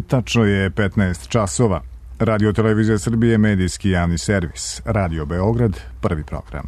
Tačno je 15 časova. Radio Televizija Srbije, medijski javni servis. Radio Beograd, prvi program.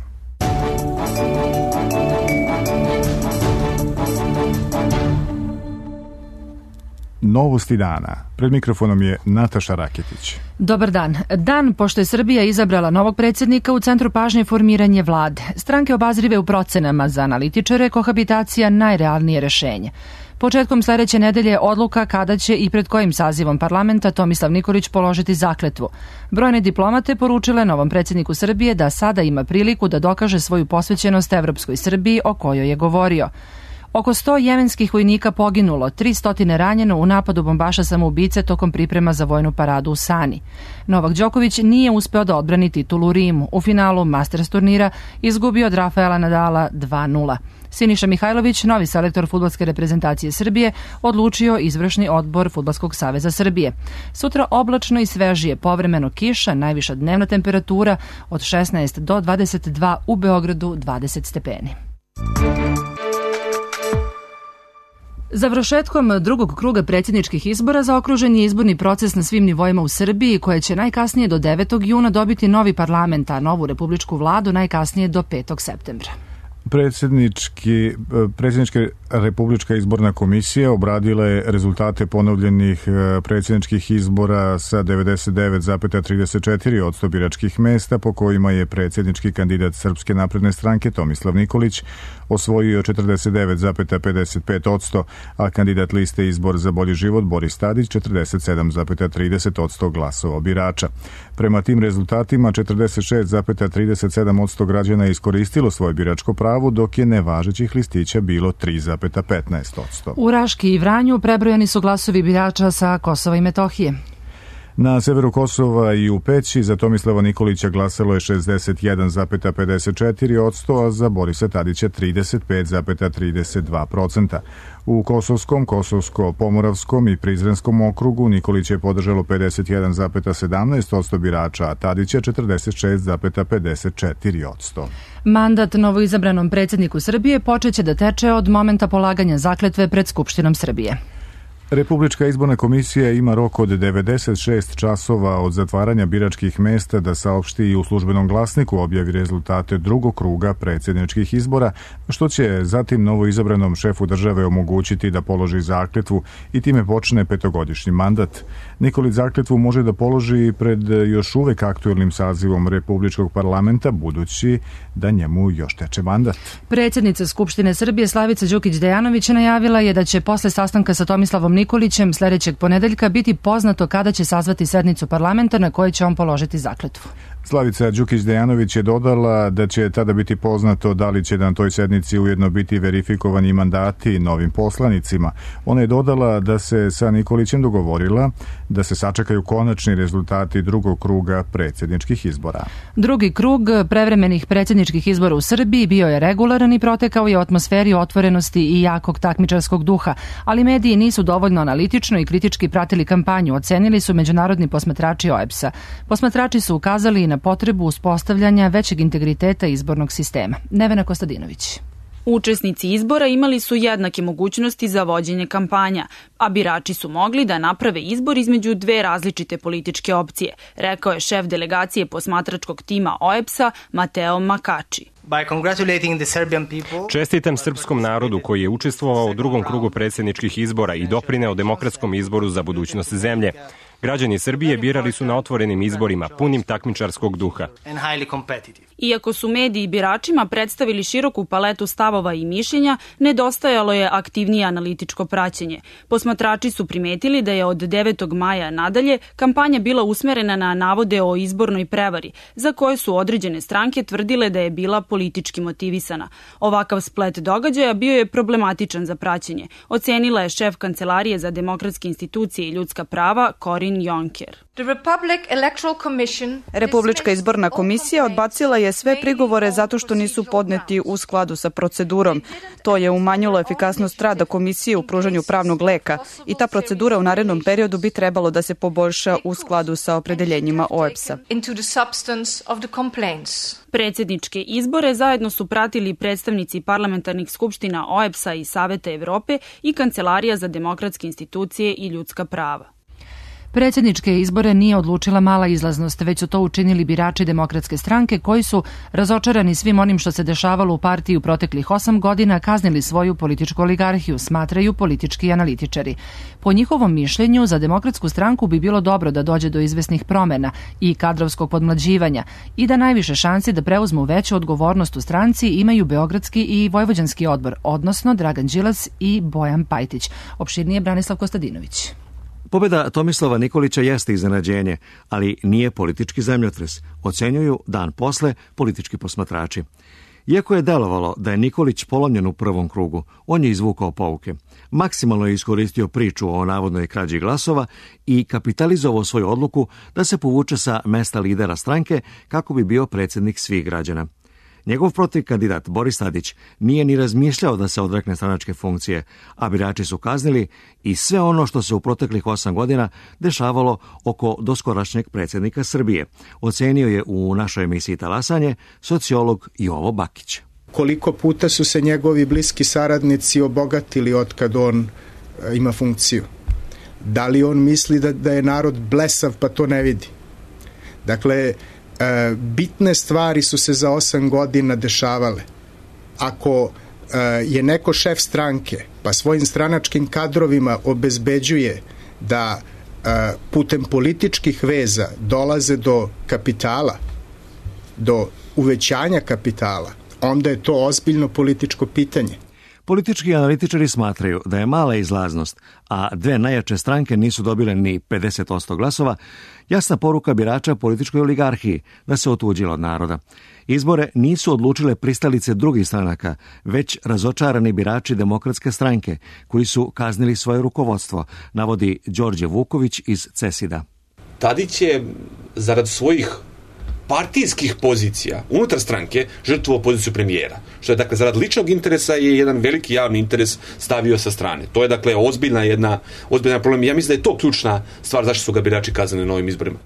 Novosti dana. Pred mikrofonom je Nataša Raketić. Dobar dan. Dan pošto je Srbija izabrala novog predsjednika, u centru pažnje formiranje vlade. Stranke obazrive u procenama, za analitičare kohabitacija najrealnije rešenje. Početkom sledeće nedelje odluka kada će i pred kojim sazivom parlamenta Tomislav Nikolić položiti zakletvu. Brojne diplomate poručile novom predsjedniku Srbije da sada ima priliku da dokaže svoju posvećenost evropskoj Srbiji o kojoj je govorio. Oko 100 jemenskih vojnika poginulo, 300 ranjeno u napadu bombaša samoubice tokom priprema za vojnu paradu u Sani. Novak Đoković nije uspeo da odbrani titulu u Rimu. U finalu Masters turnira izgubio od Rafaela Nadala 2:0. Siniša Mihajlović, novi selektor fudbalske reprezentacije Srbije, odlučio izvršni odbor Fudbalskog saveza Srbije. Sutra oblačno i svežije, povremeno kiša, najviša dnevna temperatura od 16 do 22, u Beogradu 20 stepeni. Završetkom drugog kruga predsjedničkih izbora zaokružen je izborni proces na svim nivoima u Srbiji, koje će najkasnije do 9. juna dobiti novi parlament, a novu republičku vladu najkasnije do 5. septembra. Predsjednička republička izborna komisija obradila je rezultate ponovljenih predsjedničkih izbora sa 99,34% biračkih mesta, po kojima je predsjednički kandidat Srpske napredne stranke Tomislav Nikolić osvojio 49,55%, a kandidat liste Izbor za bolji život Boris Tadić 47,30% glasova birača. Prema tim rezultatima 46,37% građana je iskoristilo svoje biračko pravo, dok je nevažećih listića bilo 3,15%. U Raški i Vranju prebrojani su glasovi birača sa Kosova i Metohije. Na severu Kosova i u Peći za Tomislava Nikolića glasalo je 61,54%, a za Borisa Tadića 35,32%. U Kosovskom, Kosovsko-Pomoravskom i Prizrenskom okrugu Nikolić je podržalo 51,17% birača, a Tadića 46,54%. Mandat novoizabranom predsjedniku Srbije počeće da teče od momenta polaganja zakletve pred Skupštinom Srbije. Republička izborna komisija ima rok od 96 časova od zatvaranja biračkih mesta da saopšti i u službenom glasniku objavi rezultate drugog kruga predsjedničkih izbora, što će zatim novoizabranom šefu države omogućiti da položi zakletvu i time počne petogodišnji mandat. Nikolić zakletvu može da položi pred još uvek aktuelnim sazivom Republičkog parlamenta, budući da njemu još teče mandat. Predsjednica Skupštine Srbije Slavica Đukić Dejanović najavila je da će posle sastanka sa Tomislavom Nikolićem sledećeg ponedeljka biti poznato kada će sazvati sednicu parlamenta na kojoj će on položiti zakletvu. Slavica Đukić Dejanović je dodala da će tada biti poznato da li će na toj sednici ujedno biti verifikovani mandati novim poslanicima. Ona je dodala da se sa Nikolićem dogovorila da se sačekaju konačni rezultati drugog kruga predsjedničkih izbora. Drugi krug prevremenih predsjedničkih izbora u Srbiji bio je regularan i protekao je u atmosferi otvorenosti i jakog takmičarskog duha, ali mediji nisu dovoljno analitično i kritički pratili kampanju, ocenili su međunarodni posmatrači OEBS-a. Posmatrači su ukazali na potrebu uspostavljanja većeg integriteta izbornog sistema. Nevena Kostadinović. Učesnici izbora imali su jednake mogućnosti za vođenje kampanja, a birači su mogli da naprave izbor između dve različite političke opcije, rekao je šef delegacije posmatračkog tima OEBS-a Mateo Makači. Čestitam srpskom narodu koji je učestvovao u drugom krugu predsjedničkih izbora i doprineo demokratskom izboru za budućnost zemlje. Građani Srbije birali su na otvorenim izborima, punim takmičarskog duha. Iako su mediji biračima predstavili široku paletu stavova i mišljenja, nedostajalo je aktivnije analitičko praćenje. Posmatrači su primetili da je od 9. maja nadalje kampanja bila usmerena na navode o izbornoj prevari, za koje su određene stranke tvrdile da je bila politički motivisana. Ovakav splet događaja bio je problematičan za praćenje, ocenila je šef Kancelarije za demokratske institucije i ljudska prava Corin Jonker. Republička izborna komisija odbacila je sve prigovore zato što nisu podneti u skladu sa procedurom. To je umanjilo efikasnost rada komisije u pružanju pravnog leka i ta procedura u narednom periodu bi trebalo da se poboljša u skladu sa opredeljenjima OEBS-a. Predsjedničke izbore zajedno su pratili predstavnici parlamentarnih skupština OEBS-a i Saveta Evrope i Kancelarija za demokratske institucije i ljudska prava. Predsjedničke izbore nije odlučila mala izlaznost, već su to učinili birači Demokratske stranke koji su, razočarani svim onim što se dešavalo u partiji u proteklih 8 godina, kaznili svoju političku oligarhiju, smatraju politički analitičari. Po njihovom mišljenju, za Demokratsku stranku bi bilo dobro da dođe do izvesnih promena i kadrovskog podmlađivanja i da najviše šansi da preuzmu veću odgovornost u stranci imaju Beogradski i Vojvođanski odbor, odnosno Dragan Đilas i Bojan Pajtić. Opširnije Branislav Kostadinović. Pobjeda Tomislava Nikolića jeste iznenađenje, ali nije politički zemljotres, ocenjuju dan posle politički posmatrači. Iako je delovalo da je Nikolić polomljen u prvom krugu, on je izvukao pouke. Maksimalno je iskoristio priču o navodnoj krađi glasova i kapitalizovao svoju odluku da se povuče sa mesta lidera stranke kako bi bio predsjednik svih građana. Njegov protivkandidat Boris Tadić nije ni razmišljao da se odrekne stranačke funkcije, a birači su kaznili i sve ono što se u proteklih 8 godina dešavalo oko doskorašnjeg predsjednika Srbije, ocenio je u našoj emisiji Talasanje sociolog Jovo Bakić. Koliko puta su se njegovi bliski saradnici obogatili otkad on ima funkciju? Da li on misli da je narod blesav pa to ne vidi? Dakle, bitne stvari su se za 8 godina dešavale. Ako je neko šef stranke, pa svojim stranačkim kadrovima obezbeđuje da putem političkih veza dolaze do kapitala, do uvećanja kapitala, onda je to ozbiljno političko pitanje. Politički analitičari smatraju da je mala izlaznost, a dve najjače stranke nisu dobile ni 50% glasova, jasna poruka birača političkoj oligarhiji da se otuđila od naroda. Izbore nisu odlučile pristalice drugih stranaka, već razočarani birači Demokratske stranke, koji su kaznili svoje rukovodstvo, navodi Đorđe Vuković iz CESID-a. Tadić je zarad svojih partijskih pozicija unutar stranke žrtvovao poziciju premijera, što je dakle zarad ličnog interesa je jedan veliki javni interes stavio sa strane. To je dakle ozbiljna problem. Ja mislim da je to ključna stvar zašto su ga birači kaznili na ovim izborima.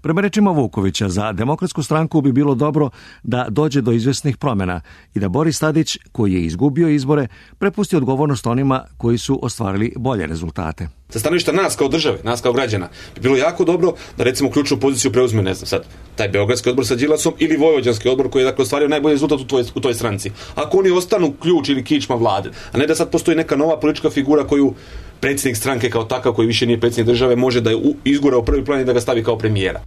Prema rečima Vukovića, za Demokratsku stranku bi bilo dobro da dođe do izvesnih promjena i da Boris Tadić, koji je izgubio izbore, prepusti odgovornost onima koji su ostvarili bolje rezultate. Sa stanovišta nas kao države, nas kao građana, bi bilo jako dobro da recimo ključnu poziciju preuzme, ne znam sad, taj Beogradski odbor sa Đilasom ili Vojvođanski odbor koji je dakle ostvario najbolji rezultat u toj stranci. Ako oni ostanu ključ ili kičma vlade, a ne da sad postoji neka nova politička figura koju predsjednik stranke kao takav, koji više nije predsjednik države, može da je izgura u prvi plan i da ga stavi kao premijera.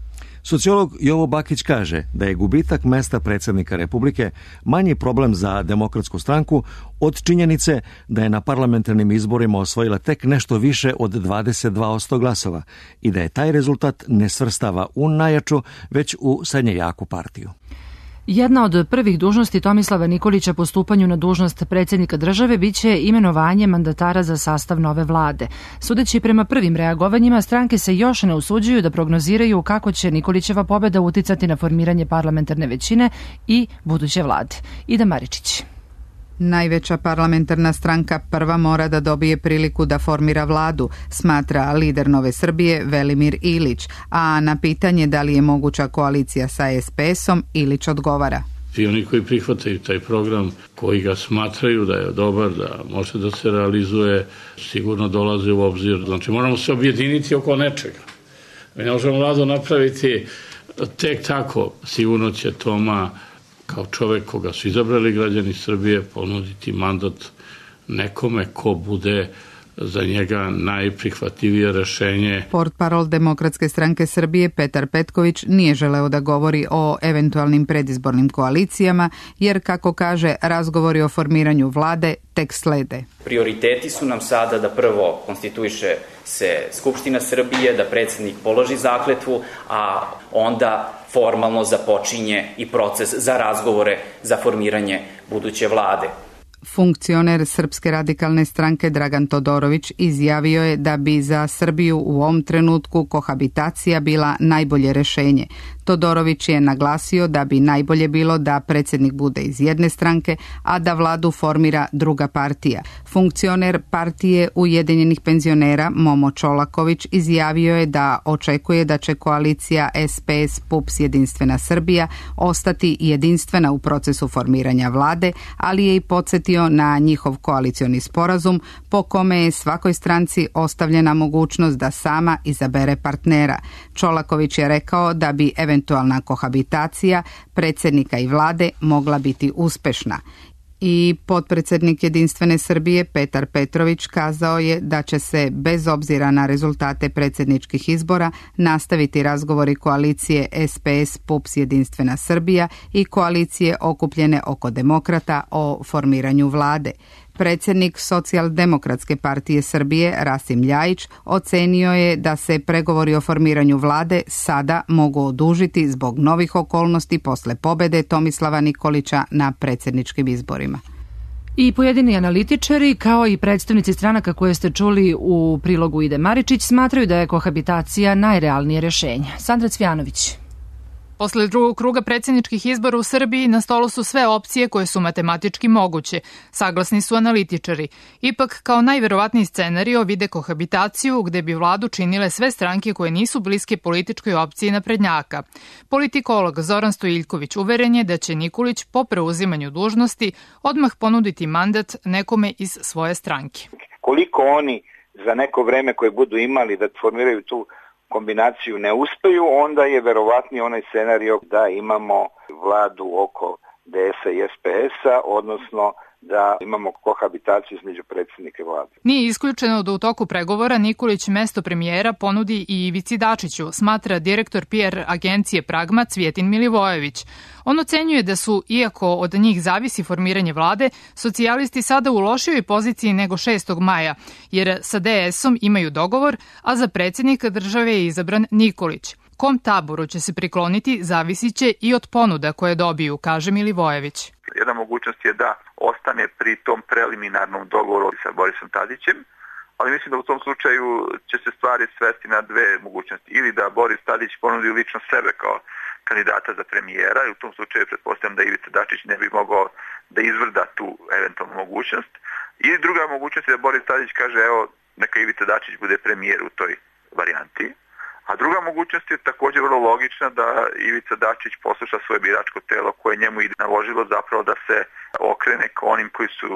Sociolog Jovo Bakić kaže da je gubitak mesta predsjednika Republike manji problem za Demokratsku stranku od činjenice da je na parlamentarnim izborima osvojila tek nešto više od 22% glasova i da je taj rezultat ne svrstava u najjaču, već u srednje jaku partiju. Jedna od prvih dužnosti Tomislava Nikolića po stupanju na dužnost predsjednika države biće imenovanje mandatara za sastav nove vlade. Sudeći prema prvim reagovanjima, stranke se još ne usuđuju da prognoziraju kako će Nikolićeva pobjeda uticati na formiranje parlamentarne većine i buduće vlade. Ida Maričić. Najveća parlamentarna stranka prva mora da dobije priliku da formira vladu, smatra lider Nove Srbije Velimir Ilić, a na pitanje da li je moguća koalicija sa SPS-om Ilić odgovara. I oni koji prihvataju taj program, koji ga smatraju da je dobar, da može da se realizuje, sigurno dolaze u obzir. Znači moramo se objediniti oko nečega. Mi ne možemo vladu napraviti tek tako. Sigurno će Toma kao čovek koga su izabrali građani Srbije ponuditi mandat nekome ko bude za njega najprihvatljivije rešenje. Portparol Demokratske stranke Srbije Petar Petković nije želeo da govori o eventualnim predizbornim koalicijama, jer, kako kaže, razgovori o formiranju vlade tek slede. Prioriteti su nam sada da prvo konstituiše se Skupština Srbije, da predsjednik položi zakletvu, a onda formalno započinje i proces za razgovore za formiranje buduće vlade. Funkcioner Srpske radikalne stranke Dragan Todorović izjavio je da bi za Srbiju u ovom trenutku kohabitacija bila najbolje rešenje. Todorović je naglasio da bi najbolje bilo da predsjednik bude iz jedne stranke, a da vladu formira druga partija. Funkcioner partije Ujedinjenih penzionera Momo Čolaković izjavio je da očekuje da će koalicija SPS PUPS Jedinstvena Srbija ostati jedinstvena u procesu formiranja vlade, ali je i podsjetio podsjetio na njihov koalicioni sporazum po kome je svakoj stranci ostavljena mogućnost da sama izabere partnera. Čolaković je rekao da bi eventualna kohabitacija predsjednika i vlade mogla biti uspešna. I potpredsjednik Jedinstvene Srbije Petar Petrović kazao je da će se bez obzira na rezultate predsjedničkih izbora nastaviti razgovori koalicije SPS PUPS Jedinstvena Srbija i koalicije okupljene oko demokrata o formiranju vlade. Predsjednik Socijaldemokratske partije Srbije Rasim Ljajić ocenio je da se pregovori o formiranju vlade sada mogu odužiti zbog novih okolnosti posle pobede Tomislava Nikolića na predsjedničkim izborima. I pojedini analitičari, kao i predstavnici stranaka koje ste čuli u prilogu Ide Maričić, smatraju da je kohabitacija najrealnije rješenje. Sandra Cvjanović. Posle drugog kruga predsjedničkih izbora u Srbiji na stolu su sve opcije koje su matematički moguće, saglasni su analitičari. Ipak, kao najverovatniji scenario vide kohabitaciju gde bi vladu činile sve stranke koje nisu bliske političkoj opciji naprednjaka. Politikolog Zoran Stojiljković uveren je da će Nikolić po preuzimanju dužnosti odmah ponuditi mandat nekome iz svoje stranke. Koliko oni za neko vreme koje budu imali da formiraju tu kombinaciju ne uspeju, onda je verovatniji onaj scenario da imamo vladu oko DS-a i SPS-a, odnosno da imamo kohabitaciju između predsjednika vlade. Nije isključeno da u toku pregovora Nikolić mesto premijera ponudi i Ivici Dačiću, smatra direktor PR agencije Pragma Cvjetin Milivojević. On ocenjuje da su, iako od njih zavisi formiranje vlade, socijalisti sada u lošijoj poziciji nego 6. maja, jer sa DS-om imaju dogovor, a za predsjednika države je izabran Nikolić. Kom taboru će se prikloniti zavisit će i od ponuda koje dobiju, kaže Milivojević. Jedna mogućnost je da ostane pri tom preliminarnom dogovoru sa Borisom Tadićem, ali mislim da u tom slučaju će se stvari svesti na dve mogućnosti. Ili da Boris Tadić ponudi lično sebe kao kandidata za premijera i u tom slučaju pretpostavljam da Ivica Dačić ne bi mogao da izvrda tu eventualnu mogućnost. Ili druga mogućnost je da Boris Tadić kaže evo neka Ivica Dačić bude premijer u toj varijanti. A druga mogućnost je također vrlo logična da Ivica Dačić posluša svoje biračko telo koje njemu i naložilo zapravo da se okrene ka onim koji su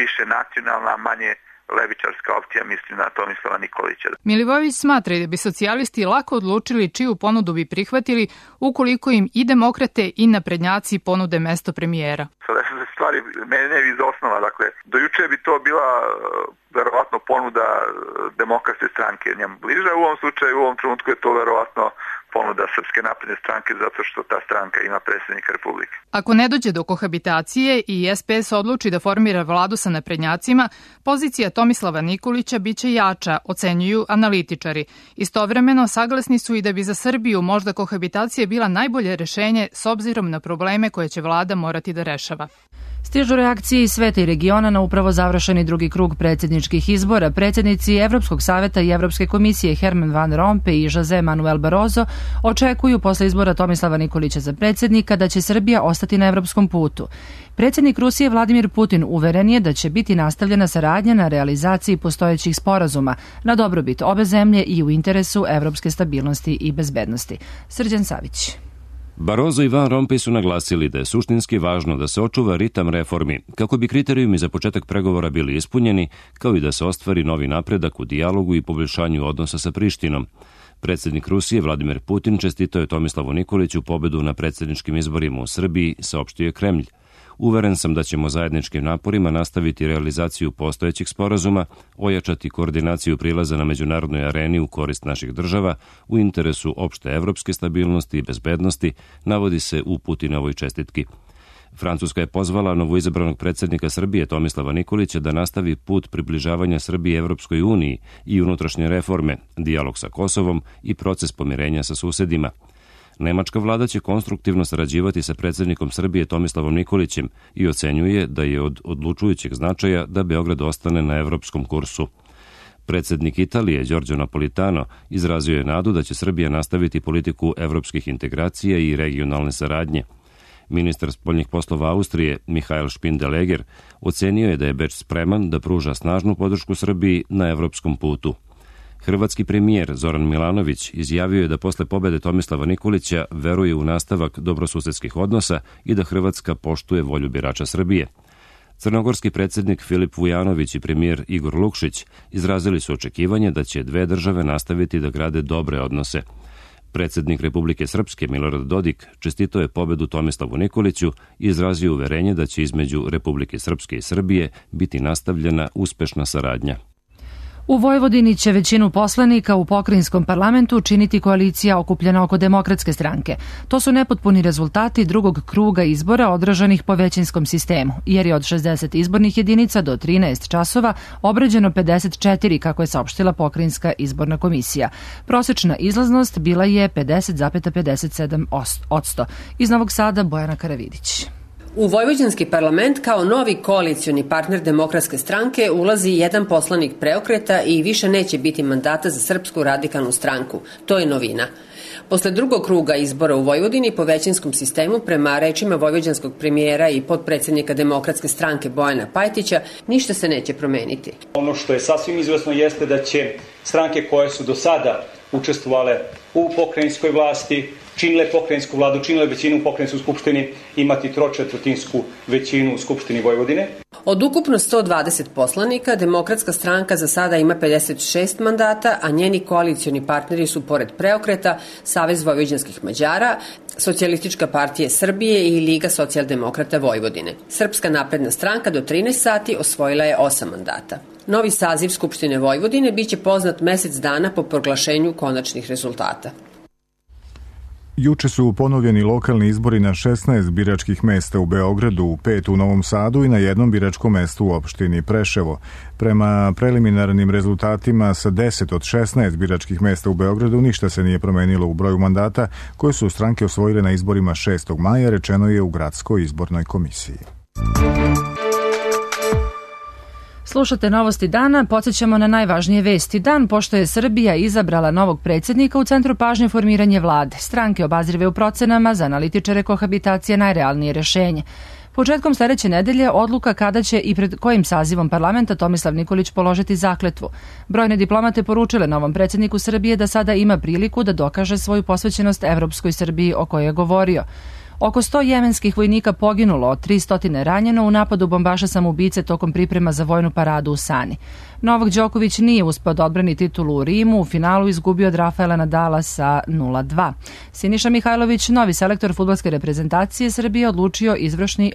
više nacionalna, a manje levičarska opcija, mislim na Tomislava Nikolića. Milivojević smatra da bi socijalisti lako odlučili čiju ponudu bi prihvatili ukoliko im i demokrate i naprednjaci ponude mesto premijera. Sada su se stvari mene iz osnova, dakle, do juče bi to bila verovatno ponuda demokratske stranke njemu bliža, u ovom slučaju, u ovom trenutku je to verovatno ponuda Srpske napredne stranke zato što ta stranka ima predsjednika Republike. Ako ne dođe do kohabitacije i SPS odluči da formira vladu sa naprednjacima, pozicija Tomislava Nikolića biće jača, ocenjuju analitičari. Istovremeno, saglasni su i da bi za Srbiju možda kohabitacija bila najbolje rešenje s obzirom na probleme koje će vlada morati da rešava. Stižu reakcije iz sveta i regiona na upravo završeni drugi krug predsjedničkih izbora. Predsjednici Evropskog saveta i Evropske komisije Herman Van Rompuy i José Manuel Barroso očekuju posle izbora Tomislava Nikolića za predsjednika da će Srbija ostati na evropskom putu. Predsjednik Rusije Vladimir Putin uveren je da će biti nastavljena saradnja na realizaciji postojećih sporazuma na dobrobit obe zemlje i u interesu evropske stabilnosti i bezbednosti. Srđan Savić. Barroso i Van Rompuy su naglasili da je suštinski važno da se očuva ritam reformi, kako bi kriterijumi za početak pregovora bili ispunjeni, kao i da se ostvari novi napredak u dijalogu i poboljšanju odnosa sa Prištinom. Predsjednik Rusije Vladimir Putin čestitao je Tomislavu Nikoliću pobedu na predsjedničkim izborima u Srbiji, saopštio je Kremlj. Uveren sam da ćemo zajedničkim naporima nastaviti realizaciju postojećih sporazuma, ojačati koordinaciju prilaza na međunarodnoj areni u korist naših država, u interesu opšte evropske stabilnosti i bezbednosti, navodi se u Putinovoj čestitki. Francuska je pozvala novoizabranog predsjednika Srbije Tomislava Nikolića da nastavi put približavanja Srbije Evropskoj uniji i unutrašnje reforme, dijalog sa Kosovom i proces pomirenja sa susedima. Nemačka vlada će konstruktivno sarađivati sa predsjednikom Srbije Tomislavom Nikolićem i ocenjuje da je od odlučujućeg značaja da Beograd ostane na evropskom kursu. Predsjednik Italije Giorgio Napolitano izrazio je nadu da će Srbija nastaviti politiku evropskih integracija i regionalne saradnje. Ministar spoljnih poslova Austrije Michael Spindeleger ocenio je da je Beč spreman da pruža snažnu podršku Srbiji na evropskom putu. Hrvatski premijer Zoran Milanović izjavio je da posle pobede Tomislava Nikolića veruje u nastavak dobrosusedskih odnosa i da Hrvatska poštuje volju birača Srbije. Crnogorski predsjednik Filip Vujanović i premijer Igor Lukšić izrazili su očekivanje da će dve države nastaviti da grade dobre odnose. Predsjednik Republike Srpske Milorad Dodik čestitao je pobedu Tomislavu Nikoliću i izrazio uverenje da će između Republike Srpske i Srbije biti nastavljena uspešna saradnja. U Vojvodini će većinu poslanika u pokrajinskom parlamentu činiti koalicija okupljena oko Demokratske stranke. To su nepotpuni rezultati drugog kruga izbora odraženih po većinskom sistemu, jer je od 60 izbornih jedinica do 13 časova obrađeno 54, kako je saopštila pokrajinska izborna komisija. Prosečna izlaznost bila je 50,57%. Iz Novog Sada Bojana Karavidić. U Vojvođanski parlament kao novi koalicioni partner Demokratske stranke ulazi jedan poslanik Preokreta i više neće biti mandata za Srpsku radikalnu stranku. To je novina. Posle drugog kruga izbora u Vojvodini po većinskom sistemu, prema rečima vojvođanskog premijera i potpredsjednika Demokratske stranke Bojana Pajtića, ništa se neće promeniti. Ono što je sasvim izvesno jeste da će stranke koje su do sada učestvovale u pokrajinskoj vlasti, činile pokrajinsku vladu, činile većinu u pokrajinskoj skupštini, imati tročetvrtinsku većinu u Skupštini Vojvodine. Od ukupno 120 poslanika, Demokratska stranka za sada ima 56 mandata, a njeni koalicioni partneri su pored Preokreta, Savez vojvođanskih Mađara, Socijalistička partija Srbije i Liga socijaldemokrata Vojvodine. Srpska napredna stranka do 13 sati osvojila je 8 mandata. Novi saziv Skupštine Vojvodine biće poznat mesec dana po proglašenju konačnih rezultata. Juče su ponovljeni lokalni izbori na 16 biračkih mesta u Beogradu, 5 u Novom Sadu i na jednom biračkom mestu u opštini Preševo. Prema preliminarnim rezultatima sa 10 od 16 biračkih mesta u Beogradu ništa se nije promenilo u broju mandata koje su stranke osvojile na izborima 6. maja, rečeno je u Gradskoj izbornoj komisiji. Slušate Novosti dana, podsjećamo na najvažnije vesti. Dan pošto je Srbija izabrala novog predsjednika, u centru pažnje formiranje vlade. Stranke obazrive u procenama, za analitičare kohabitacija najrealnije rešenje. Početkom sledeće nedelje odluka kada će i pred kojim sazivom parlamenta Tomislav Nikolić položiti zakletvu. Brojne diplomate poručile novom predsjedniku Srbije da sada ima priliku da dokaže svoju posvećenost evropskoj Srbiji o kojoj je govorio. Oko 100 jemenskih vojnika poginulo, od 300 ranjeno u napadu bombaša samoubice tokom priprema za vojnu paradu u Sani. Novak Đoković nije uspeo da odbrani titulu u Rimu, u finalu izgubio od Rafaela Nadala sa 0-2. Siniša Mihajlović, novi selektor fudbalske reprezentacije Srbije, odlučio izvršni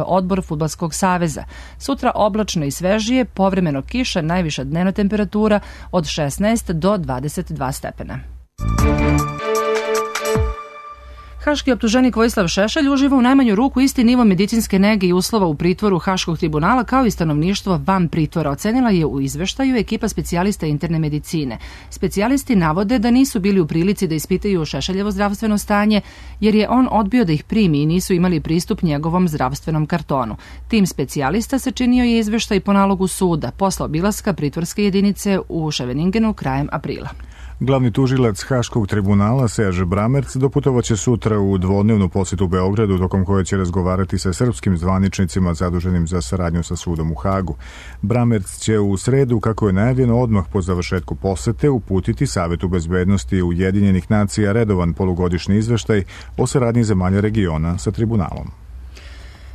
odbor Fudbalskog saveza. Sutra oblačno i svežije, povremeno kiša, najviša dnevna temperatura od 16 do 22 stepena. Haški optuženik Vojislav Šešelj uživa u najmanju ruku isti nivo medicinske nege i uslova u pritvoru Haškog tribunala kao i stanovništvo van pritvora, ocenila je u izveštaju ekipa specijalista interne medicine. Specijalisti navode da nisu bili u prilici da ispitaju Šešeljevo zdravstveno stanje jer je on odbio da ih primi i nisu imali pristup njegovom zdravstvenom kartonu. Tim specijalista sačinio je izveštaj po nalogu suda posle obilaska pritvorske jedinice u Ševeningenu krajem aprila. Glavni tužilac Haškog tribunala Serge Bramerc doputovaće sutra u dvodnevnu posjetu u Beogradu, tokom koje će razgovarati sa srpskim zvaničnicima zaduženim za saradnju sa sudom u Hagu. Bramerc će u sredu, kako je najavljeno, odmah po završetku posete uputiti Savetu bezbednosti Ujedinjenih nacija redovan polugodišnji izveštaj o saradnji zemalja regiona sa tribunalom.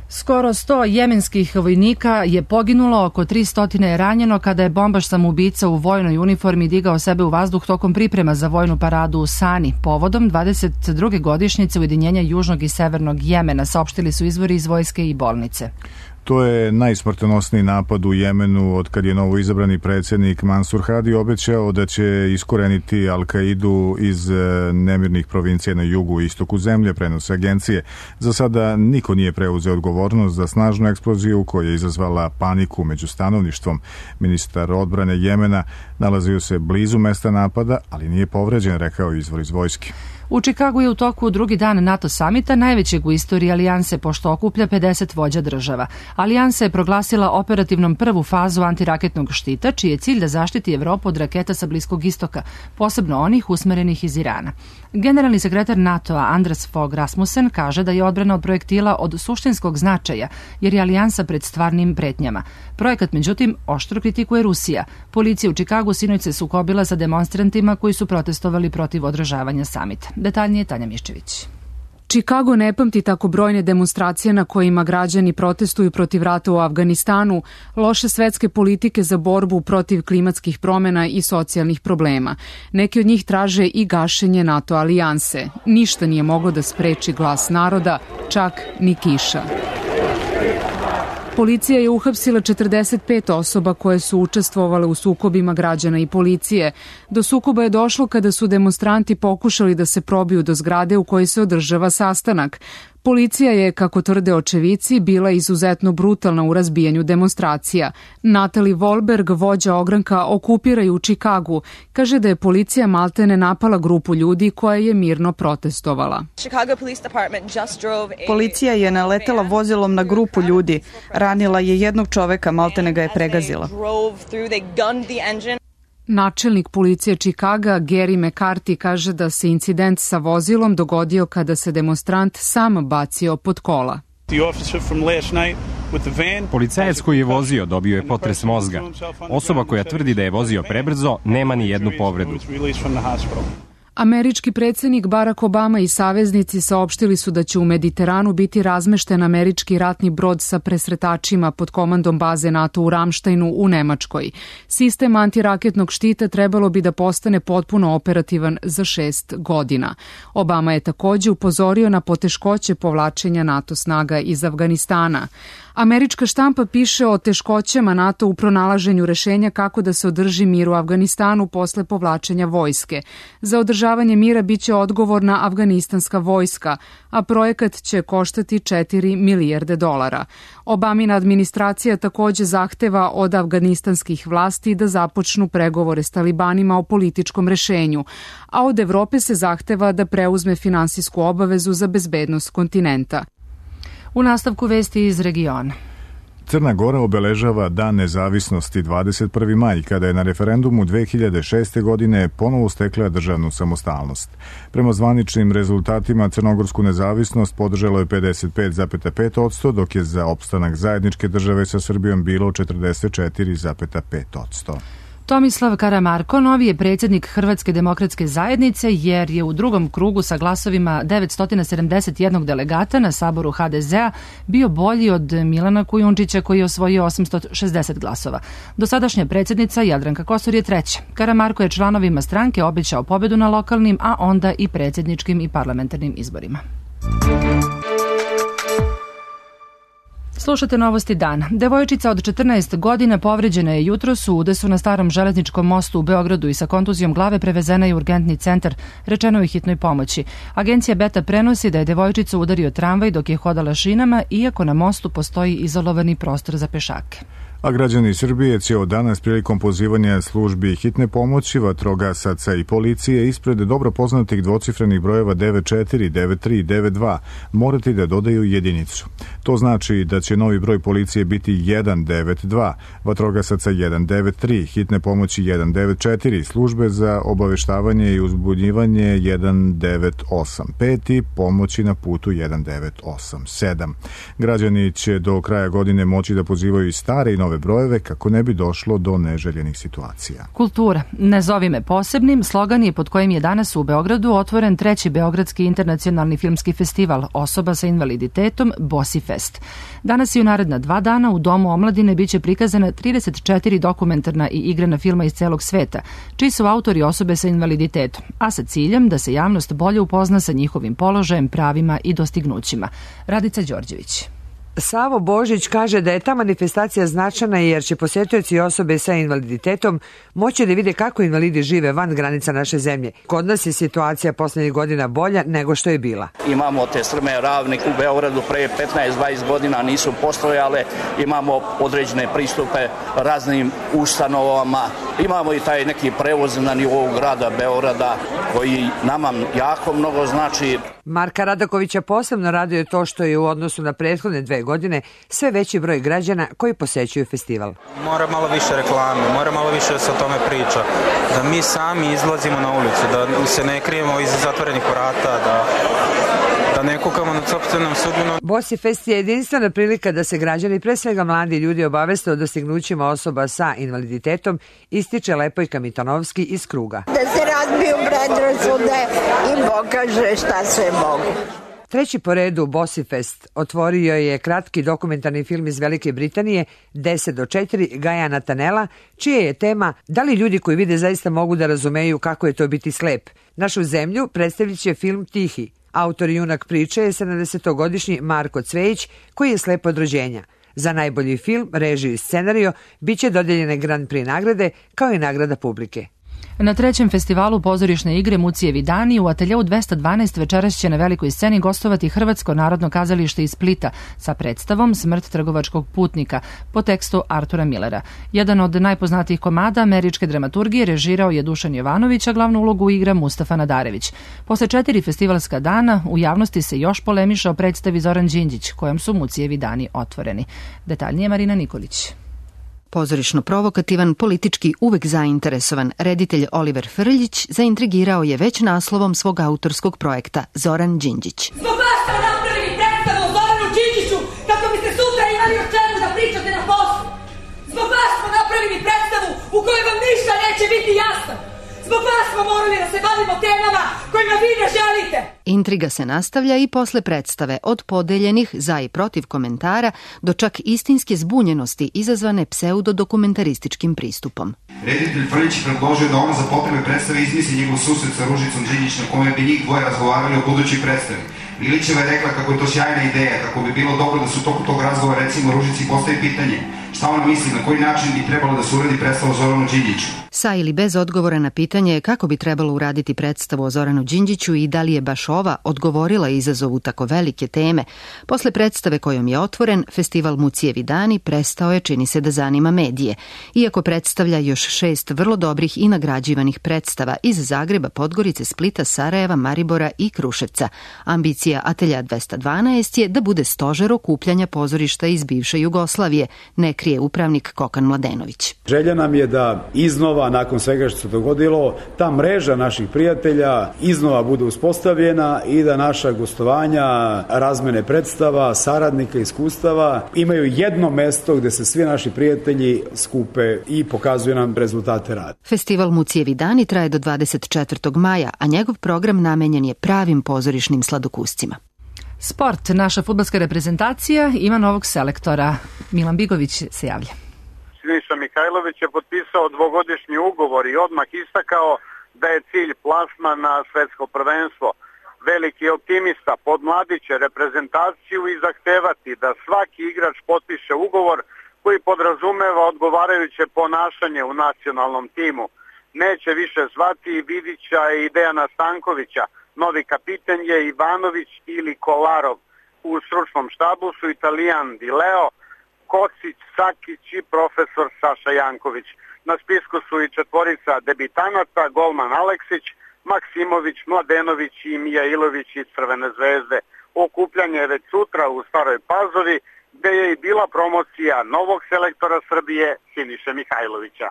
Skoro 100 jemenskih vojnika je poginulo, oko 300 je ranjeno kada je bombaš samoubica u vojnoj uniformi digao sebe u vazduh tokom priprema za vojnu paradu u Sani. Povodom 22. godišnjice ujedinjenja Južnog i Severnog Jemena, saopštili su izvori iz vojske i bolnice. To je najsmrtonosniji napad u Jemenu od kad je novo izabrani predsjednik Mansur Hadi obećao da će iskoreniti Al-Kaidu iz nemirnih provincija na jugu i istoku zemlje, prenose agencije. Za sada niko nije preuzeo odgovornost za snažnu eksploziju koja je izazvala paniku među stanovništvom. Ministar odbrane Jemena nalazio se blizu mesta napada, ali nije povređen, rekao izvor iz vojske. U Čikagu je u toku drugi dan NATO samita, najvećeg u istoriji alijanse, pošto okuplja 50 vođa država. Alijansa je proglasila operativnom prvu fazu antiraketnog štita, čiji je cilj da zaštiti Evropu od raketa sa Bliskog istoka, posebno onih usmerenih iz Irana. Generalni sekretar NATO-a Anders Fogh Rasmussen kaže da je odbrana od projektila od suštinskog značaja, jer je alijansa pred stvarnim pretnjama. Projekat, međutim, oštro kritikuje Rusija. Policija u Čikagu sinoć se sukobila sa demonstrantima koji su protestovali protiv održavanja samita. Detaljnije Tanja Miščević. Čikago ne pamti tako brojne demonstracije na kojima građani protestuju protiv rata u Afganistanu, loše svetske politike za borbu protiv klimatskih promjena i socijalnih problema. Neki od njih traže i gašenje NATO alijanse. Ništa nije moglo da spreči glas naroda, čak ni kiša. Policija je uhapsila 45 osoba koje su učestvovale u sukobima građana i policije. Do sukoba je došlo kada su demonstranti pokušali da se probiju do zgrade u kojoj se održava sastanak. Policija je, kako tvrde očevici, bila izuzetno brutalna u razbijanju demonstracija. Natalie Wolberg, vođa ogranka Okupiraju Čikagu, kaže da je policija maltene napala grupu ljudi koja je mirno protestovala. Policija je naletela vozilom na grupu ljudi. Ranila je jednog čoveka, maltene ga je pregazila. Načelnik policije Čikaga, Gary McCarthy, kaže da se incident sa vozilom dogodio kada se demonstrant sam bacio pod kola. Policajac koji je vozio dobio je potres mozga. Osoba koja tvrdi da je vozio prebrzo nema ni jednu povredu. Američki predsjednik Barack Obama i saveznici saopštili su da će u Mediteranu biti razmešten američki ratni brod sa presretačima pod komandom baze NATO u Ramštajnu u Nemačkoj. Sistem antiraketnog štita trebalo bi da postane potpuno operativan za 6 godina. Obama je također upozorio na poteškoće povlačenja NATO snaga iz Afganistana. Američka štampa piše o teškoćama NATO u pronalaženju rešenja kako da se održi mir u Afganistanu posle povlačenja vojske. Za održavanje mira biće odgovorna afganistanska vojska, a projekat će koštati $4 milijarde. Obamina administracija također zahteva od afganistanskih vlasti da započnu pregovore s talibanima o političkom rešenju, a od Evrope se zahteva da preuzme finansijsku obavezu za bezbednost kontinenta. U nastavku vesti iz regiona. Crna Gora obeležava Dan nezavisnosti 21. maj, kada je na referendumu 2006. godine ponovo stekla državnu samostalnost. Prema zvaničnim rezultatima crnogorsku nezavisnost podržalo je 55,5%, dok je za opstanak zajedničke države sa Srbijom bilo 44,5%. Tomislav Karamarko novi je predsjednik Hrvatske demokratske zajednice jer je u drugom krugu sa glasovima 971 delegata na saboru HDZ-a bio bolji od Milana Kujundžića koji je osvojio 860 glasova. Dosadašnja predsjednica Jadranka Kosor je treća. Karamarko je članovima stranke obećao pobedu na lokalnim, a onda i predsjedničkim i parlamentarnim izborima. Slušate novosti dana. Devojčica od 14 godina povređena je jutros u udesu na starom železničkom mostu u Beogradu i sa kontuzijom glave prevezena je u urgentni centar, rečeno je hitnoj pomoći. Agencija Beta prenosi da je devojčicu udario tramvaj dok je hodala šinama, iako na mostu postoji izolovani prostor za pešake. A građani Srbije će od danas prilikom pozivanja službi hitne pomoći, vatrogasaca i policije ispred dobro poznatih dvocifrenih brojeva 94, 93 i 92 morati da dodaju jedinicu. To znači da će novi broj policije biti 192, vatrogasaca 193, hitne pomoći 194, službe za obaveštavanje i uzbunjivanje 1985 i pomoći na putu 1987. Građani će do kraja godine moći da pozivaju i stare i nove brojeve kako ne bi došlo do neželjenih situacija. Kultura. Ne zovi me posebnim, slogan je pod kojim je danas u Beogradu otvoren 3. Beogradski internacionalni filmski festival osoba sa invaliditetom Bosi Fest. Danas i u naredna 2 dana u Domu omladine biće prikazana 34 dokumentarna i igrana filma iz celog sveta, čiji su autori osobe sa invaliditetom, a sa ciljem da se javnost bolje upozna sa njihovim položajem, pravima i dostignućima. Radica Đorđević. Savo Božić kaže da je ta manifestacija značajna jer će posjetioci osobe sa invaliditetom moći da vide kako invalidi žive van granica naše zemlje. Kod nas je situacija poslednjih godina bolja nego što je bila. Imamo te strme ravne u Beogradu pre 15-20 godina nisu postojale, imamo određene pristupe raznim ustanovama, imamo i taj neki prevoz na nivou grada Beograda koji nama jako mnogo znači. Marka Radakovića posebno raduje to što je u odnosu na prethodne 2 godine sve veći broj građana koji posećuju festival. Mora malo više reklame, mora malo više da se o tome priča, da mi sami izlazimo na ulicu, da se ne krijemo iza zatvorenih vrata, da ne kukamo nad sopstvenom sudbinom. Bosi Fest je jedinstvena prilika da se građani, pre svega mladi ljudi, obaveste o dostignućima osoba sa invaliditetom, ističe Lepojka Mitanovski iz Kruga. Da se razbiju predrasude i pokaže šta sve mogu. Treći po redu Bossifest otvorio je kratki dokumentarni film iz Velike Britanije 10 do 4 Gaja Natanela, čija je tema da li ljudi koji vide zaista mogu da razumeju kako je to biti slep. Našu zemlju predstavit će film Tihi. Autor i junak priče je 70-godišnji Marko Cvejić, koji je slep od rođenja. Za najbolji film, režiju i scenario biće dodeljene Grand Prix nagrade kao i nagrada publike. Na trećem festivalu pozorišne igre Mucijevi dani u ateljeu 212 večeras će na velikoj sceni gostovati Hrvatsko narodno kazalište iz Splita sa predstavom Smrt trgovačkog putnika po tekstu Artura Millera. Jedan od najpoznatijih komada američke dramaturgije režirao je Dušan Jovanović, a glavnu ulogu igra Mustafa Nadarević. Posle 4 festivalska dana u javnosti se još polemiša o predstavi Zoran Đinđić, kojom su Mucijevi dani otvoreni. Detaljnije Marina Nikolić. Pozorišno-provokativan, politički uvek zainteresovan, reditelj Oliver Frljić zaintrigirao je već naslovom svog autorskog projekta Zoran Đinđić. Zbog vas smo napravili predstavu o Zoranu Đinđiću kako biste sutra imali o čemu da pričate na poslu. Zbog vas smo napravili predstavu u kojoj vam ništa neće biti jasno. Zbog vas smo morali da se bavimo temama kojima vi ne želite. Intriga se nastavlja i posle predstave, od podeljenih za i protiv komentara do čak istinske zbunjenosti izazvane pseudodokumentarističkim pristupom. Reditelj Frljić predložio da ona za potrebe predstave izmisli njegov susret sa Ružicom Đinđić na kome bi njih dvoje razgovarali o budućoj predstavi. Milićeva je rekla kako je to sjajna ideja, kako bi bilo dobro da su u toku tog razgovora recimo Ružici postavi pitanje šta ona misli, na koji način bi trebalo da se uradi predstava o Zoranu Đinđiću. Sa ili bez odgovora na pitanje kako bi trebalo uraditi predstavu o Zoranu Đinđiću i da li je baš ova odgovorila izazovu tako velike teme, posle predstave kojom je otvoren, festival Mucijevi dani prestao je, čini se, da zanima medije, iako predstavlja još 6 vrlo dobrih i nagrađivanih predstava iz Zagreba, Podgorice, Splita, Sarajeva, Maribora i Kruševca. Ambicija Atelja 212 je da bude stožer okupljanja pozorišta iz bivše Jugoslavije, ne krije upravnik Kokan Mladenović. Želja nam je da iznova, nakon svega što se dogodilo, ta mreža naših prijatelja iznova bude uspostavljena i da naša gostovanja, razmene predstava, saradnika, iskustava imaju jedno mesto gde se svi naši prijatelji skupe i pokazuju nam rezultate rada. Festival Mucijevi dani traje do 24. maja, a njegov program namenjen je pravim pozorišnim sladokuscima. Sport. Naša fudbalska reprezentacija ima novog selektora. Milan Bigović se javlja. Siniša Mihajlović je potpisao 2-godišnji ugovor i odmah istakao da je cilj plasman na svetsko prvenstvo. Veliki optimista podmladiće reprezentaciju i zahtevati da svaki igrač potpiše ugovor koji podrazumeva odgovarajuće ponašanje u nacionalnom timu. Neće više zvati Vidića i Dejana Stankovića. Novi kapiten je Ivanović ili Kolarov. U stručnom štabu su Italijan Di Leo, Kocić, Sakić i profesor Saša Janković. Na spisku su i 4 debitanata, golman Aleksić, Maksimović, Mladenović i Mijailović iz Crvene zvezde. Okupljanje je već sutra u Staroj Pazovi, gde je i bila promocija novog selektora Srbije Siniše Mihajlovića.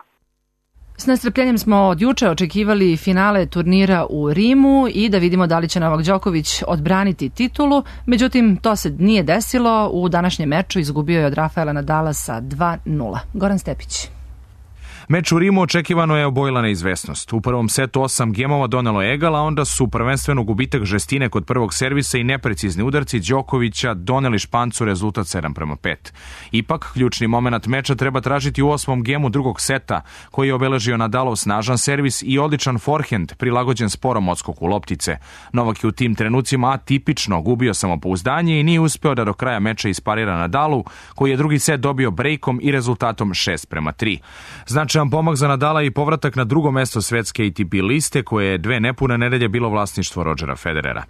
S nestrpljenjem smo od juče očekivali finale turnira u Rimu i da vidimo da li će Novak Đoković odbraniti titulu. Međutim, to se nije desilo. U današnjem meču izgubio je od Rafaela Nadala sa 2-0. Goran Stepić. Meč u Rimu očekivano je obojila neizvesnost. U prvom setu 8 gemova donelo egal, a onda su prvenstveno gubitak žestine kod prvog servisa i neprecizni udarci Đokovića doneli Špancu rezultat 7:5. Ipak, ključni moment meča treba tražiti u 8. gemu drugog seta, koji je obeležio Nadalov snažan servis i odličan forehend prilagođen sporom odskoku loptice. Novak je u tim trenucima atipično gubio samopouzdanje i nije uspeo da do kraja meča isparira Nadalu, koji je drugi set dobio brejkom i rezultatom 6:3. Značajan pomak za Nadala i povratak na drugo mesto svetske ATP liste, koje je 2 nepune nedelje bilo vlasništvo Rodgera Federera.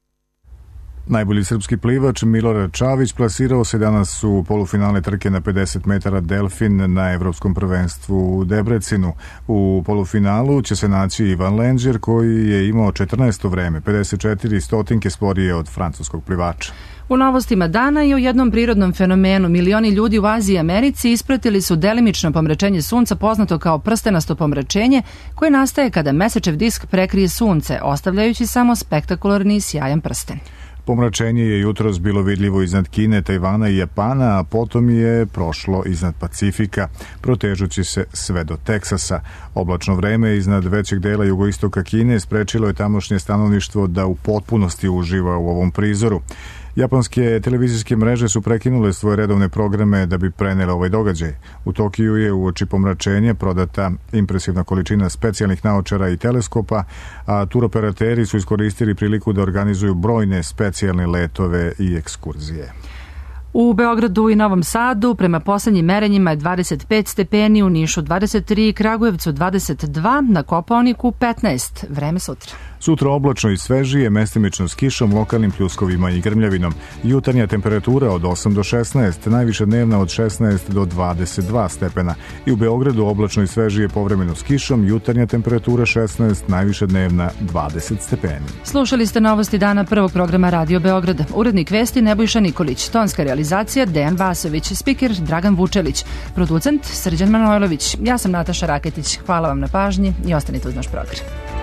Najbolji srpski plivač Milorad Čavić plasirao se danas u polufinale trke na 50 metara Delfin na Evropskom prvenstvu u Debrecinu. U polufinalu će se naći Ivan Lenđer, koji je imao 14. vreme, 54 stotinke sporije od francuskog plivača. U novostima dana i o jednom prirodnom fenomenu. Milioni ljudi u Aziji i Americi ispratili su delimično pomračenje sunca, poznato kao prstenasto pomračenje, koje nastaje kada mesečev disk prekrije sunce, ostavljajući samo spektakularni i sjajan prsten. Pomračenje je jutros bilo vidljivo iznad Kine, Tajvana i Japana, a potom je prošlo iznad Pacifika, protežući se sve do Teksasa. Oblačno vreme iznad većeg dela jugoistoka Kine sprečilo je tamošnje stanovništvo da u potpunosti uživa u ovom prizoru. Japanske televizijske mreže su prekinule svoje redovne programe da bi prenele ovaj događaj. U Tokiju je uoči pomračenja prodata impresivna količina specijalnih naočara i teleskopa, a turoperateri su iskoristili priliku da organizuju brojne specijalne letove i ekskurzije. U Beogradu i Novom Sadu prema poslednjim merenjima je 25 stepeni, u Nišu 23, Kragujevcu 22, na Kopaoniku 15. Vreme sutra. Sutra oblačno i svežije, mestimično s kišom, lokalnim pljuskovima i grmljavinom. Jutarnja temperatura od 8 do 16, najviša dnevna od 16 do 22 stepena. I u Beogradu oblačno i svežije, povremeno s kišom, jutarnja temperatura 16, najviša dnevna 20 stepeni. Slušali ste novosti dana prvog programa Radio Beograda. Urednik vesti Nebojša Nikolić, tonska realizacija Dejan Vasović, spiker Dragan Vučelić, producent Srđan Manojlović. Ja sam Nataša Raketić. Hvala vam na pažnji i ostanite uz naš program.